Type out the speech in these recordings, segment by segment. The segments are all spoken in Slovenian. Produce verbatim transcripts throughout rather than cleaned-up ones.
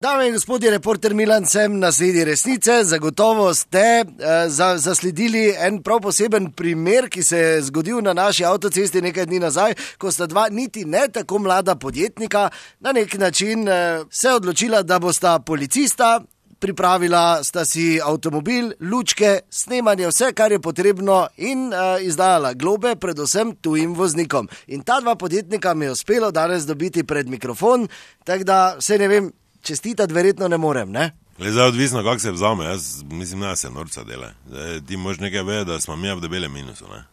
Dame in gospodje, reporter Milan sem na sledi resnice. Zagotovo ste uh, za, zasledili en prav poseben primer, ki se je zgodil na naši avtocesti nekaj dni nazaj, ko sta dva niti ne tako mlada podjetnika na nek način uh, se odločila, da bosta policista, pripravila sta si avtomobil, lučke, snemanje, vse, kar je potrebno in uh, izdajala globe predvsem tujim voznikom. In ta dva podjetnika mi je uspelo danes dobiti pred mikrofon, tako da se ne vem, čestitati verjetno ne morem, ne? Le zdaj odvisno, kako se vzame, jaz mislim, da se norca dela. Zdaj, ti moš nekaj vedeti, da smo mi v debelem minusu, ne?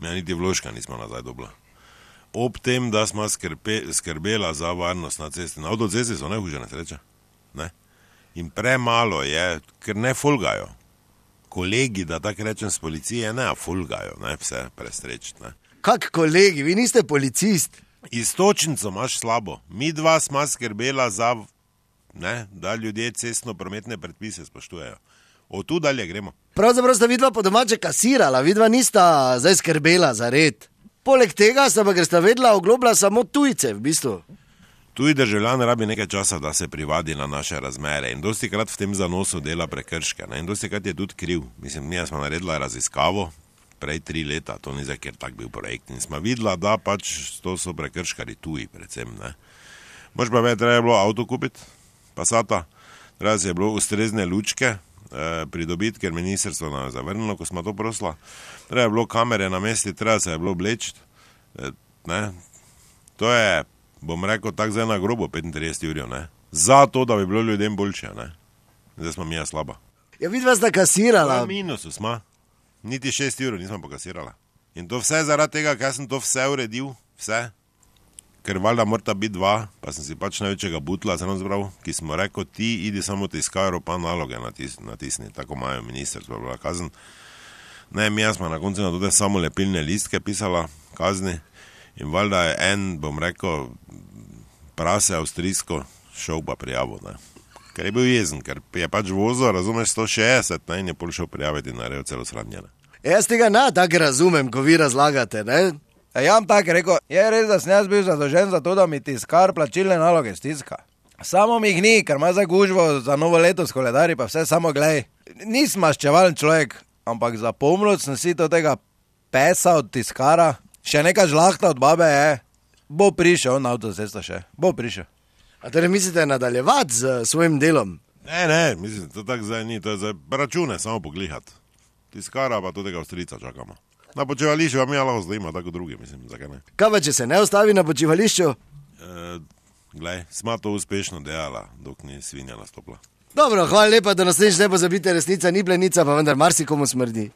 Mi niti vložka nismo nazaj dobila. Ob tem, da smo skrbe, skrbela za varnost na cesti. Na avtocesti so najhuže nesreče, ne? In premalo je, ker ne folgajo. Kolegi, da tako rečem z policije, ne folgajo, ne, vse prestreč, ne? Kak kolegi, vi niste policist? Istočnico imaš slabo. Mi dva smo skrbela za... Ne, da ljudje cestno-prometne predpise spoštujejo. Od tu dalje gremo. Pravzaprav sta vidva po domače kasirala, vidva nista zdaj skrbela za red. Poleg tega sta pa, ker sta vedela, oglobila samo tujce v bistvu. Tuji državljan rabi nekaj časa, da se privadi na naše razmere in dosti krat v tem zanosu dela prekrške. Ne? In dosti krat je tudi kriv. Mislim, mi smo naredila raziskavo, prej tri leta, to ni za kjer tak bil projekt. In smo videla, da pač to so prekrškari tuji predvsem. Ne? Mož pa ve, treba je bilo avto kupiti. Pasata, treba se je bilo ustrezne lučke eh, pridobiti, ker ministrstvo nam je zavrnilo, ko smo to prosila. Treba je bilo kamere na mesti, treba se je bilo oblečiti. Eh, to je, bom rekel, tak zdaj na grobo petintrideset jurjev, ne. Zato, da bi bilo ljudem boljše, ne. Zdaj smo mi ja slaba. Ja, vidva sta kasirala. Na minusu smo. Niti šest jurjev nismo pokasirala. In to vse zaradi tega, ker sem to vse uredil, vse. Ker valjda morata biti dva, pa sem si pač največjega butla zelo zbral, ki smo rekel, ti idi samo tiskajo pa naloge natisni, natisni, tako imajo ministrstvo, bila kazen. Ne, mi smo na koncu na tudi samo lepilne listke pisala kazni in valjda je en, bom rekel, prase avstrijsko šel pa prijavo, ne. Ker je bil jezen, ker je pač vozil, razumeš, sto šestdeset, ne, in je pol šel prijaviti in naredil celo sradnjene. Jaz tega ne tako razumem, ko vi razlagate, ne. Ja, tako rekel, je res, da sem jaz bil zadolžen za to, da mi tiskar plačilne naloge stiska. Samo mi jih ni, ker ima za gužvo za novo leto s koledarji, pa vse samo glej. Nisem maščevalen človek, ampak zapomnil sem si to tega pesa od tiskara, še neka žlahta od babe je, bo prišel na avtocesto še, bo prišel. A torej mislite nadaljevati z svojim delom? Ne, ne, mislim, to tako zdaj ni, to je zdaj račune samo poglihati. Tiskara pa to tega avstrijca čakamo. Na počivališču vam je lahko zdaj ima, tako drugi, mislim, zakaj ne. Kaj pa, če se ne ostavi na počivališču? E, glej, smo to uspešno delala, dok ni svinja nastopila. Dobro, hvala lepa, da naslednjič ne pozabite, resnica ni plenica, pa vendar marsikomu smrdi.